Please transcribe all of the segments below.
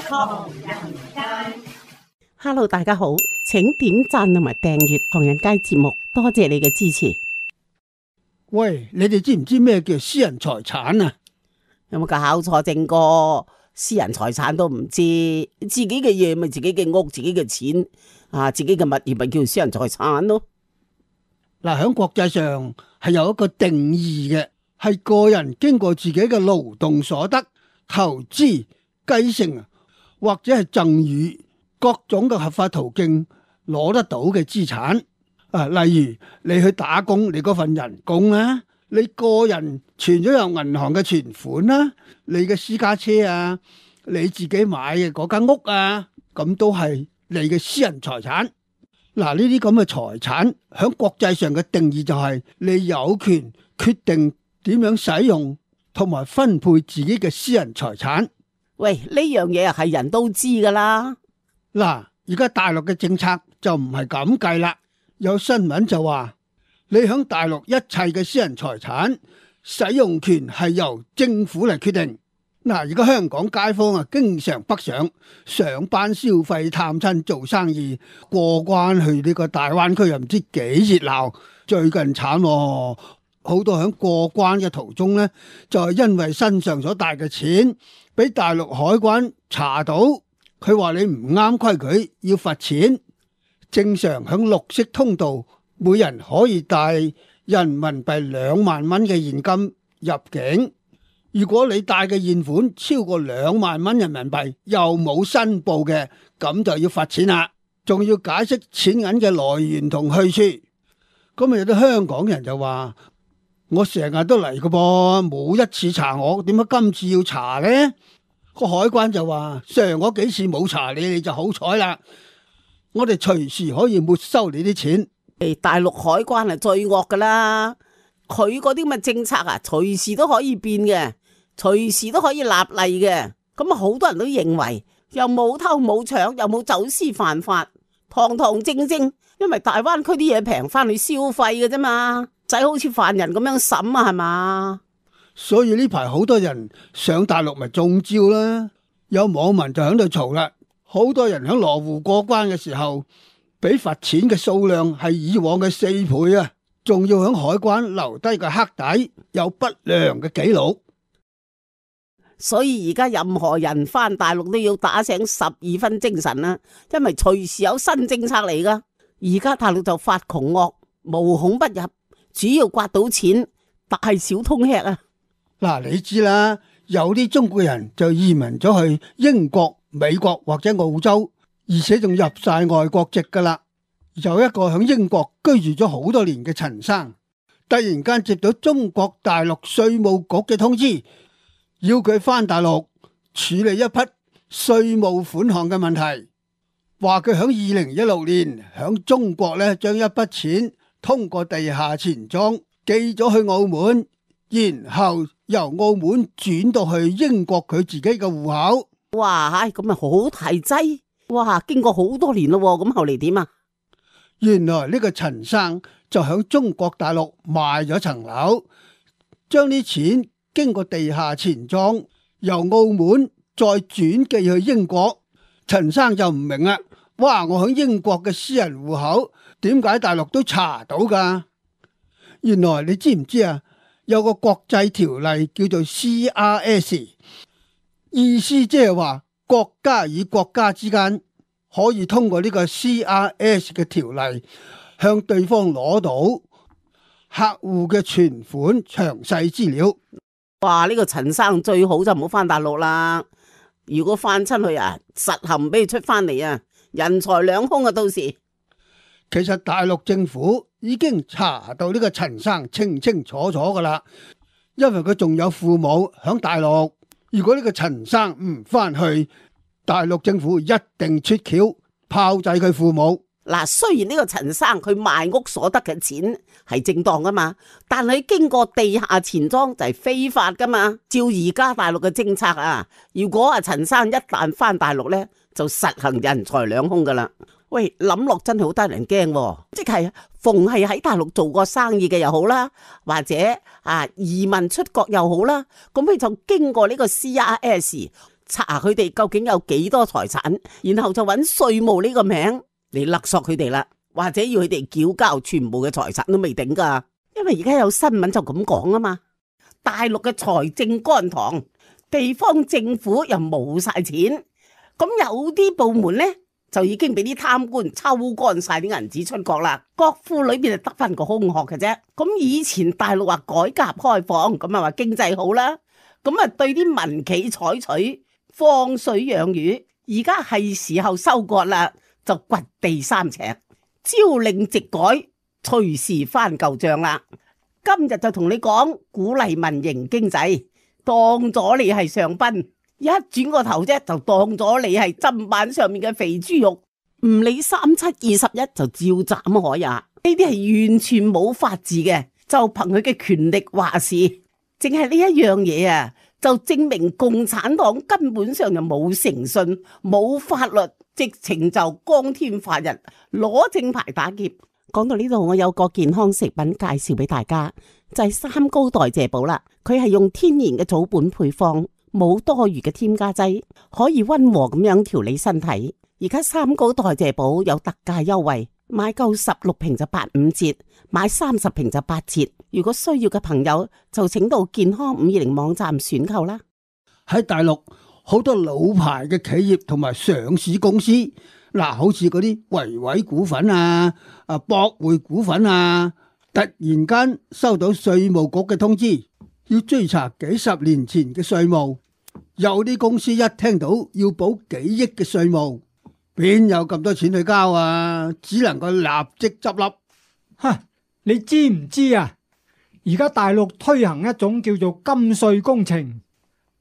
唐人街。Hello， 大家好，請點讚同埋訂閱唐人街節目，多謝你嘅支持。喂，你哋知唔知咩叫私人財產啊？有冇搞錯？正哥，私人財產都唔知，自己嘅嘢咪自己嘅屋、自己嘅錢啊，自己嘅物業咪叫私人財產咯。嗱，喺國際上係有一個定義嘅，係個人經過自己嘅勞動所得、投資、繼承或者係贈與各種嘅合法途徑攞得到嘅資產。例如你去打工，你嗰份人工啦，你個人存咗入銀行嘅存款啦，你嘅私家車啊，你自己買嘅嗰間屋啊，咁都係你嘅私人財產。嗱，呢啲咁嘅財產喺國際上嘅定義就係你有權決定點樣使用同埋分配自己嘅私人財產。喂，呢樣嘢係人都知噶啦。嗱，而家大陸嘅政策就唔係咁計啦。有新聞就話，你喺大陸一切嘅私人財產使用權係由政府嚟決定。嗱，而家香港街坊啊，經常北上班消費、探親、做生意，過關去呢個大灣區又唔知幾熱鬧。最近慘喎，好多喺過關嘅途中呢，就係因為身上所帶嘅錢，俾大陸海關查到，佢話你唔啱規矩，要罰錢。正常喺綠色通道，每人可以帶人民幣2萬蚊嘅現金入境。如果你帶嘅現款超過2萬蚊人民幣，又冇申報嘅，咁就要罰錢啦。仲要解釋錢銀嘅來源同去處。咁有啲香港人就話：我成日都嚟嘅噃，冇一次查我，點解今次要查呢？個海關就話：上嗰幾次冇查你，你就好彩啦。我哋隨時可以沒收你啲錢。大陸海關係最惡噶啦，佢嗰啲咁嘅政策啊，隨時都可以變嘅，隨時都可以立例嘅。咁啊，好多人都認為又冇偷冇搶，又冇走私犯法，堂堂正正。因為大灣區啲嘢平，翻去消費嘅啫嘛，仔好似犯人咁樣審啊，係嘛？所以呢排好多人上大陸咪中招啦。有網民就喺度嘈啦。好多人喺羅湖過關嘅時候，俾罰錢嘅數量係以往嘅4倍啊！仲要喺海關留低個黑底，有不良嘅記錄。所以而家任何人翻大陸都要打醒12分精神啦，因為隨時有新政策嚟噶。而家大陸就發窮惡，無孔不入，主要刮到錢，大小通吃啊！嗱，你知啦，有啲中國人就移民咗去英國、美國或者澳洲，而且仲入晒外國籍噶啦。有一個喺英國居住咗好多年嘅陳生，突然間接到中國大陸稅務局嘅通知，要佢翻大陸處理一筆稅務款項嘅問題，話佢喺2016年喺中國咧將一筆錢通過地下錢莊寄咗去澳門，然後由澳門轉到去英國佢自己嘅戶口。哇，咁咪好大劑！哇，經過好多年咯，咁後嚟點啊？原來呢個陳生就喺中國大陸賣咗層樓，將啲錢經過地下錢莊由澳門再轉寄去英國。陳生就唔明啦，哇！我喺英國嘅私人戶口，點解大陸都查到噶？原來你知唔知啊？有個國際條例叫做 CRS， 意思即係話國家與國家之間可以通過呢個 CRS 嘅條例向對方攞到客戶嘅存款詳細資料。哇！呢個陳生最好就唔好翻大陸啦。如果翻親去啊，實行唔俾佢出翻嚟啊，人財兩空啊！到時其實大陸政府已經查到呢個陳生清清楚楚噶啦，因為佢仲有父母響大陸。如果呢個陳生唔翻去，大陸政府一定出橋炮製佢父母。嗱，雖然呢個陳生佢賣屋所得嘅錢係正當噶嘛，但係經過地下錢莊就係非法噶嘛。照而家大陸嘅政策啊，如果啊陳生一旦翻大陸呢，就實行人財兩空噶啦。喂，諗落真係好得人驚，即係逢係喺大陸做過生意嘅又好啦，或者移民出國又好啦，咁佢就經過呢個 CRS。查佢哋究竟有幾多財產，然後就揾稅務呢個名嚟勒索佢哋啦，或者要佢哋繳交全部嘅財產都未定噶。因為而家有新聞就咁講啊嘛，大陸嘅財政乾塘，地方政府又冇晒錢，咁有啲部門呢，就已經俾啲貪官抽乾晒啲銀紙出國啦，國庫裏邊就得翻個空殼嘅啫。咁以前大陸話改革開放，咁啊話經濟好啦，咁啊對啲民企採取放水養魚，而家係時候收割啦，就掘地三尺，朝令夕改，隨時翻舊賬啦。今日就同你講鼓勵民營經濟，當咗你係上賓，一轉個頭啫就當咗你係砧板上面嘅肥豬肉，唔理3721就照斬海呀！呢啲係完全冇法治嘅，就憑佢嘅權力話事，淨係呢一樣嘢啊，就證明共產黨根本上就冇誠信、冇法律，直情就光天化日攞正牌打劫。講到呢度，我有個健康食品介紹俾大家，就係三高代謝寶啦。佢係用天然嘅草本配方，冇多餘嘅添加劑，可以溫和咁樣調理身體。而家三高代謝寶有特價優惠，買夠16瓶就85折，買30瓶就8折。如果需要嘅朋友就請到健康520網站選購啦。喺大陸好多老牌嘅企業同埋上市公司，嗱，好似嗰啲維維股份啊、博匯股份啊，突然間收到稅務局嘅通知，要追查幾十年前嘅稅務。有啲公司一聽到要補幾億嘅稅務，邊有咁多錢去交啊？只能夠立即執笠。你知唔知啊？而家大陸推行一種叫做金稅工程，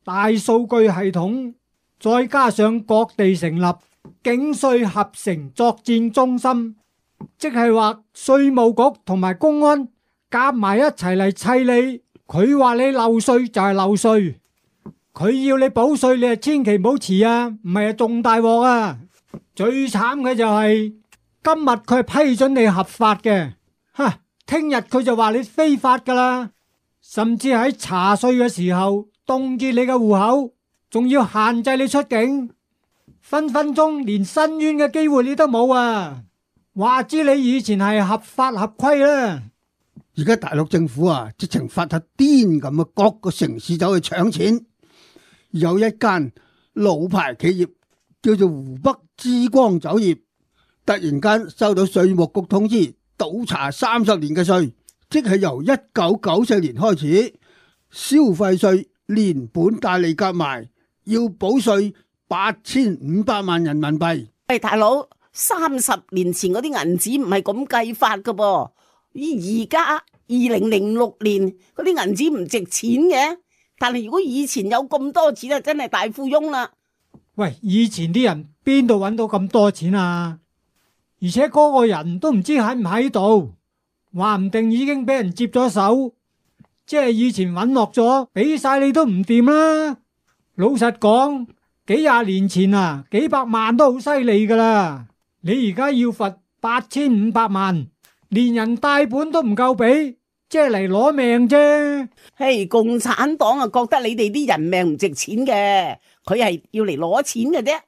大數據系統，再加上各地成立警稅合成作戰中心，即係話稅務局同埋公安夾埋一齊嚟砌你。佢話你漏稅就係漏稅，佢要你補稅，你係千祈唔好遲啊，唔係啊仲大鑊啊！最慘嘅就係今日佢係批准你合法嘅，聽日佢就話你非法噶啦，甚至喺查稅嘅時候凍結你嘅戶口，仲要限制你出境，分分鐘連申冤嘅機會你都冇啊！話知你以前係合法合規啦。而家大陸政府啊，直情發下癲咁啊，各個城市走去搶錢。有一間老牌企業叫做湖北之光酒業，突然間收到稅務局通知，倒查30年嘅稅，即係由1994年開始，消費稅連本帶利夾埋要補稅8500萬人民幣。喂，大佬，30年前嗰啲銀紙唔係咁計法噶噃，而家2006年嗰啲銀紙唔值錢嘅，但係如果以前有咁多錢啊，真係大富翁啦。喂，以前啲人邊度揾到咁多錢啊？而且嗰個人都唔知喺唔喺度，話唔定已經俾人接咗手，即係以前揾落咗，俾晒你都唔掂啦。老實講，幾廿年前啊，幾百萬都好犀利噶啦，你而家要罰8500萬，連人帶本都唔夠俾，即係嚟攞命啫。嘿，共產黨啊，覺得你哋啲人命唔值錢嘅，佢係要嚟攞錢嘅啫。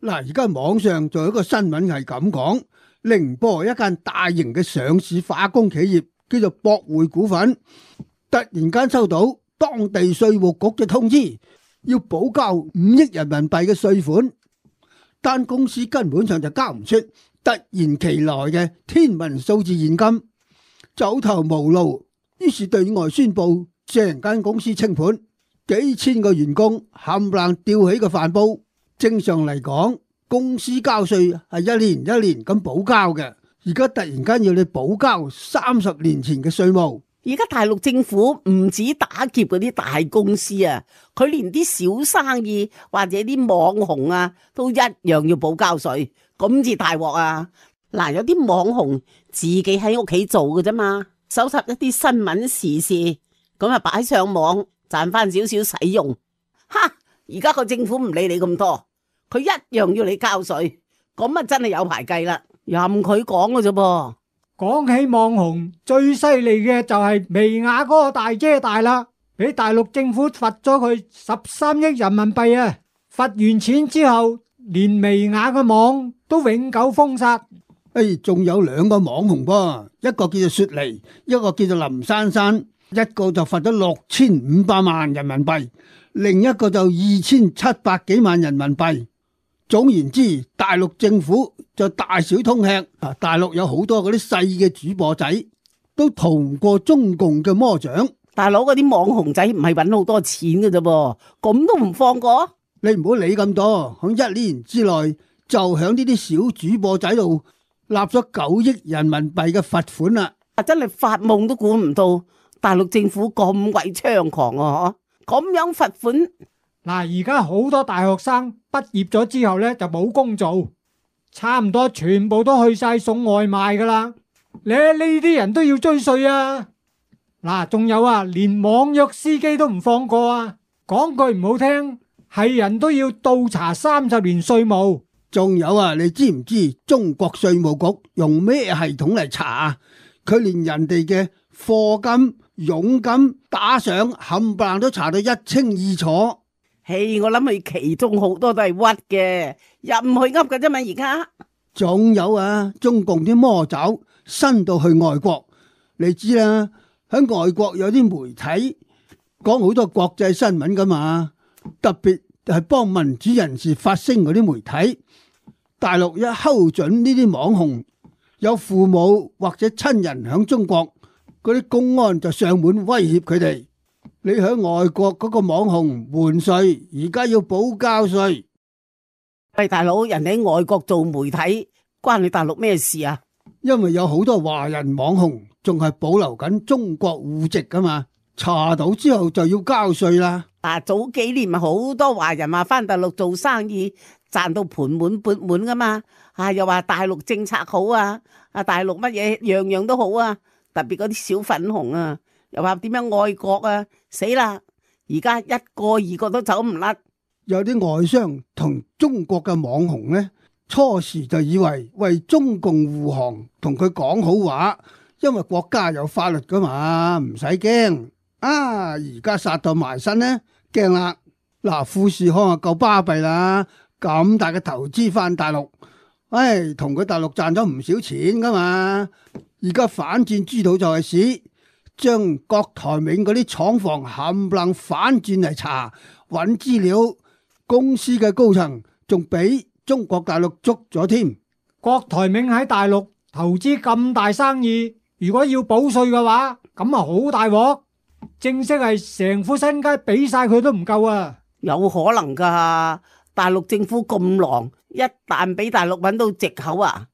嗱，而家網上仲有一個新聞係咁講，寧波一間大型嘅上市化工企業叫做博匯股份，突然間收到當地稅務局嘅通知，要補交5億人民幣嘅稅款，但公司根本上就交唔出突然其來嘅天文數字現金，走投無路，於是對外宣布成間公司清盤，幾千個員工冚唪唥吊起個飯煲。正常嚟講，公司交稅係一年一年咁補交嘅，而家突然間要你補交30年前嘅稅務。而家大陸政府唔止打劫嗰啲大公司啊，佢連啲小生意或者啲網紅啊，都一樣要補交稅，咁至大鑊啊！嗱，有啲網紅自己喺屋企做嘅啫嘛，搜集一啲新聞時事，咁啊擺上網賺翻少少使用。而家個政府唔理你咁多，佢一樣要你交稅，咁啊真係有排計啦，任佢講嘅啫噃。講起網紅，最犀利嘅就係薇婭嗰個大姐大啦。俾大陸政府罰咗佢13億人民幣啊！罰完錢之後，連薇婭嘅網都永久封殺。仲有2個網紅噃，一個叫做雪梨，一個叫做林珊珊，一個就罰咗6500萬人民幣，另一個就2700幾萬人民幣。總言之，大陸政府就大小通吃。大陸有好多嗰啲細嘅主播仔都逃唔過中共嘅魔掌。大佬嗰啲網紅仔唔係搵好多錢嘅啫噃，咁都唔放過？你唔好理咁多，響1年之內就響呢啲小主播仔度立咗9億人民幣嘅罰款啦！真係發夢都估唔到，大陸政府咁鬼猖狂啊！咁樣罰款。嗱，而家好多大學生畢業咗之後呢，就冇工做，差唔多全部都去晒送外賣噶啦。你呢啲人都要追稅啊！嗱，仲有啊，連網約司機都唔放過啊！講句唔好聽，係人都要倒查30年稅務。仲有啊，你知唔知中國稅務局用咩系統嚟查啊？佢連人哋嘅課金、佣金打賞冚唪唥都查到一清二楚。嘿，我諗佢其中好多都係屈嘅，入唔去噏嘅啫嘛。而家仲有啊，中共啲魔爪伸到去外國，你知啦，喺外國有啲媒體講好多國際新聞噶嘛，特別係幫民主人士發聲嗰啲媒體。大陸一睺準呢啲網紅有父母或者親人喺中國，嗰啲公安就上門威脅佢哋。你喺外國嗰個網紅瞞稅，而家要補交稅。喂，大佬，人哋喺外國做媒體，關你大陸咩事啊？因為有好多華人網紅仲係保留緊中國戶籍噶嘛，查到之後就要交稅啦。早幾年咪好多華人話翻大陸做生意賺到盆滿缽滿噶嘛，又話大陸政策好啊，大陸乜嘢樣樣都好啊，特別嗰啲小粉紅啊。又話點樣愛國啊？死啦！而家一個二個都走唔甩。有啲外商同中國嘅網紅呢，初時就以為中共護航，同佢講好話，因為國家有法律噶嘛，唔使驚。而家殺到埋身呢，驚啦！嗱，富士康啊夠巴閉啦，咁大嘅投資翻大陸，同佢大陸賺咗唔少錢噶嘛。而家反轉豬肚就係屎。將郭台銘嗰啲廠房冚唪唥反轉嚟查，揾資料，公司嘅高層仲俾中國大陸捉咗添。郭台銘喺大陸投資咁大生意，如果要補稅嘅話，咁啊好大鑊，正式係成副身家俾晒佢都唔夠啊！有可能噶，大陸政府咁狼，一旦俾大陸揾到藉口啊，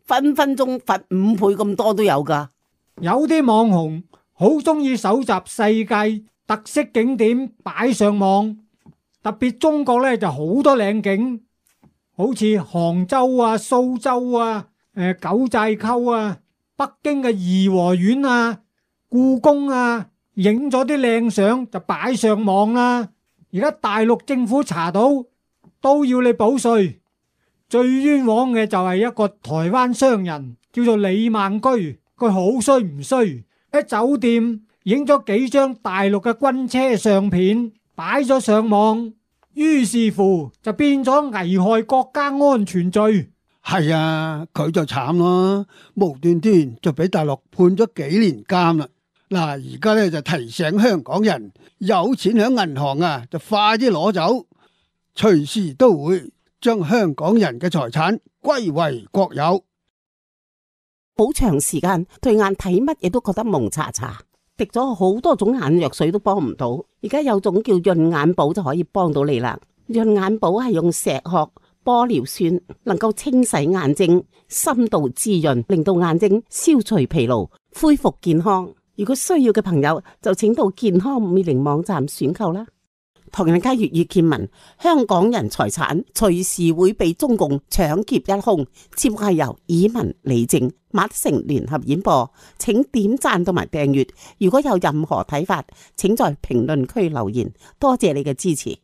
分分鐘罰5倍咁多都有噶。有啲網紅好中意搜集世界特色景點擺上網，特別中國呢就好多靚景，好似杭州啊、蘇州啊、九寨溝啊、北京嘅頤和園啊、故宮啊，影咗啲靚相就擺上網啦。而家大陸政府查到都要你補稅，最冤枉嘅就係一個台灣商人叫做李孟居，佢好衰唔衰？喺酒店影咗幾張大陸嘅軍車相片擺咗上網，於是乎就變咗危害國家安全罪。係啊，佢就慘咯，無端端就俾大陸判咗幾年監啦。嗱，而家咧就提醒香港人，有錢喺銀行啊，就快啲攞走，隨時都會將香港人嘅財產歸為國有。好長時間對眼睇乜嘢都覺得蒙查查，滴咗好多種眼藥水都幫唔到，而家有種叫潤眼寶就可以幫到你啦。潤眼寶係用石殼、玻尿酸，能夠清洗眼睛，深度滋潤，令到眼睛消除疲勞，恢復健康。如果需要嘅朋友就請到健康520網站選購啦。唐人街粵語見聞，香港人財產隨時會被中共搶劫一空。節目係由以文、李正、馬德成聯合演播，請點讚同埋訂閱。如果有任何睇法，請在評論區留言。多謝你嘅支持。